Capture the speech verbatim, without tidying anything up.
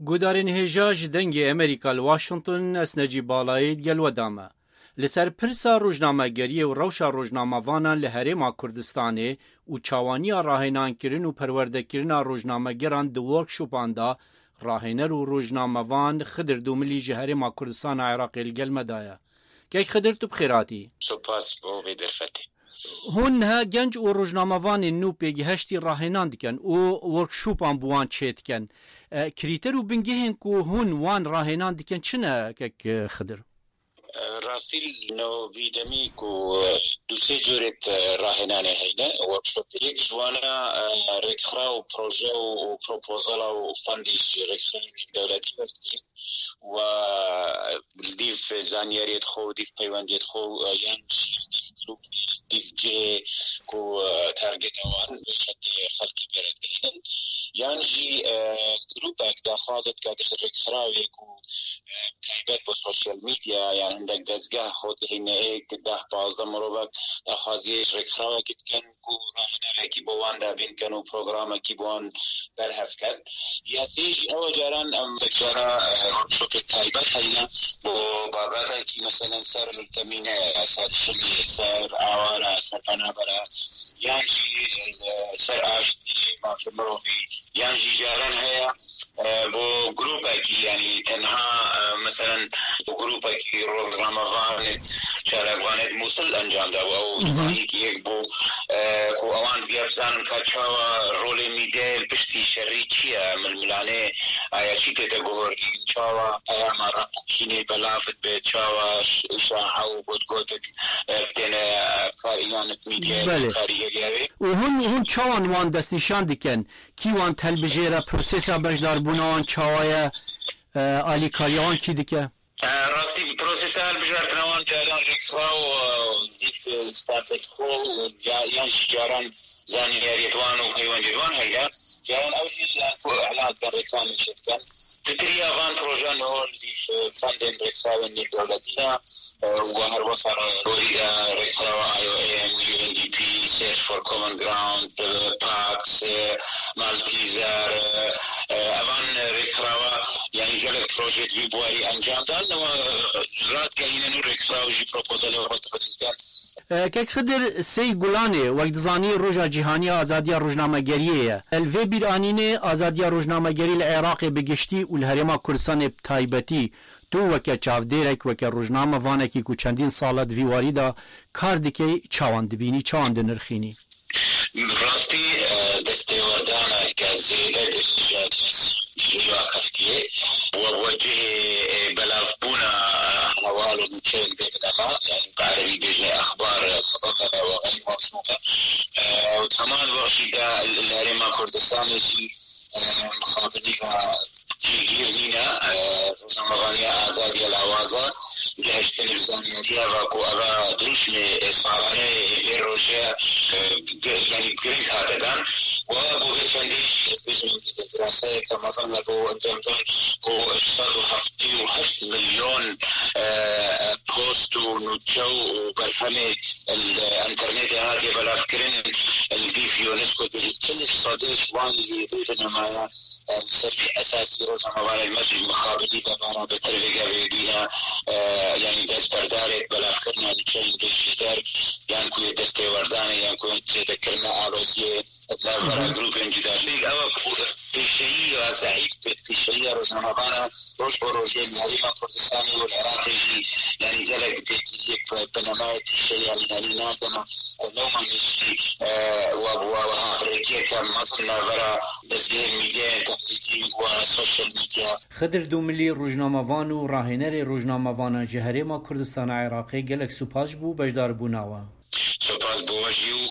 Guhdarên hêja ji Dengê Amerîka li Washington, ez Necîb Balayî digel we de me. Li ser pirsa rojnamegeriyê û rewşa rojnamevanan li Herêma Kurdistanê û çawaniya rahênankirin û perwerdekirina rojnamegeran di workshopan de, rahêner û rojnamevan Xidir Dûmilî ji Herêma Kurdistana Iraqê li gel me de ye. Kek Xidir, tu bi xêr hatî. Spas bo vê derfetê. Hûn niha genc û rojnamevanên nû pêgihiştî rahênan dikin û workshopan bi wan çêdikin. E, krîter û bingehên ku hûn wan rahênan dikin çi ne, kek, e, Xidir? E, rastî li no vî demî ku, e, du sê corê, e, rahênanê heyne, workshop. Yek ji wana, e, rêkxira û proje û, û propozala û fendî ji rêkxirên nêvdewletî werdigrin. Û li dîv zanyariyê xwe û dîv peywendiyê xwe, e, yan jî dîv grûp, dîv cihê ku, e, targeta wan wê xetê xelkê pê re digihînin, yan jî, e, grûpek daxwaz dike ji rêkxirawê ku, e, taybet bo sosyal medya yan hindek dezgeh xwe dihîne êk deh pazdeh mirovek daxwaziyê ji rêkxirawekî dikin ku rahênerekî bo wan dabîn ken û programekî bo wan berhev ken. Ya sê jî ew caran em cara, e, workshopê taybet heyne bo babetekî, meselen ser temîne, ser şilê, ser awara, ser penabera, yan jî, e, ser aştî, mafê mirovî, yan jî caran heye, e, bo grûpekî, yanî tenha, e, meselen bo grûpekî rojnamevanê çalakvanê Mûsil encam da, ew Hı hı. Civahî ki yek bû, e, ku ewan diya bizanin ka çawa rolê mîdyayê li piştî şerî çi ye, milmilanê aya çi tête guhordîn, çawa peyama req û kînê belav dibe, çawa ş-, îşa'a û gotgotik, e, têne, e, kar-, yan mîdyayê Belê. Karîgeriya wê. Û hûn, hûn çawan wan destnîşan dikin? Kî wan telbijêre, prosesa beşdarbûna wan çawa ye? E, alîkariya wan kî dike? E, rastî, prosesa hilbijartina wan caran rêkxiraw, e, zîf, e, stafê xwe û ca-, yan jî caran zanyariyê wan û peywendiyê wan heye. Caran ew jî yan ku îlan dikin, rêklamê çê dikin. Di tiriya van projeyan hol zîf, e, fendên rêkxirawên nêvdewletî ne, e, û her wesa gorî de rêkxirawa I O M, U N D P, Search for Common Ground, e, Pax, e, Malteser, e, e, evan rêkxirawa, yanî gelek proje di vî buarî encam dan, ew, e, radgehînin û rêkxiraw jî propozelê xwe dixin. E, Kek Xidir, sey Gulanê, wek dizanî, Roja Cîhanî ya Azadiya Rojnamegeriyê ye. Li vê bîranînê azadiya rojnamegerî li Iraqê bi giştî û li Herêma Kurdistanê bi taybetî, tu weke çavdêrek, weke rojnamevanekî ku çendîn sal e di vî warî de kar dikey, çawan dibînî, çawan dinirxînî? Rastî, e, destêwerdaneke zêde dirêj e, dîsa keftiye. Wek, wek cihê, e, belavbûna, e, hewal û nûçeyên bê binema, yanî bi erebî bêjne exbar, e, muzemmeme ve xeyrî mewsûfe. E, û heman wext jî de li Herêma Kurdistanê jî, e, mixabinî ve cîgîr nîne, e, rojnamevaniya azad ya lawaza, gihiştin bi zanyariya ve ku eva dirûşmê, e, salane, e, vê rojê, e, gi-, yanî giring hate dan. Wa bo vê çendî, ez bêjim, diraseyeke mezin me bo encam dan ku sed û heftê û heşt milyon, e, e, post û nûçe û berhemê li enternetê hatiye belavkirin, li dîv UNESCO dirî çil sedê ji wan yê vê binemaya, e, li ser vî esasî rojnamevanên me jî mixabinî ve bara bi tirvêge vê dîne, e, yanî destberdarê belavkirina nûçeyên bêjîder, yan ku yê destêwerdanê, yan ku yê zêdekirina aloziyê di navbera Hı hı. grûpên cuda. Lê ew ku pêşeyî ya zeîf, pêşeyî ya rojnamevana roj bo rojê li Herêma Kurdistanê û li Iraqê jî, yanî gelek pêkî yek bi, bi nemaya tîşe, yanî, yanî nakeme, e, lewma jî, e, wa bi wa wiha rêkiyeke mezin navbera dezgehên mîdyayên teqlîdî û sosyal mîdya. Xidir Dûmilî, rojnamevan û rahênerê rojnamevanan ji Herêma Kurdistana Iraqê, gelek spas ji bo beşdarbûna we. Spas bo we jî û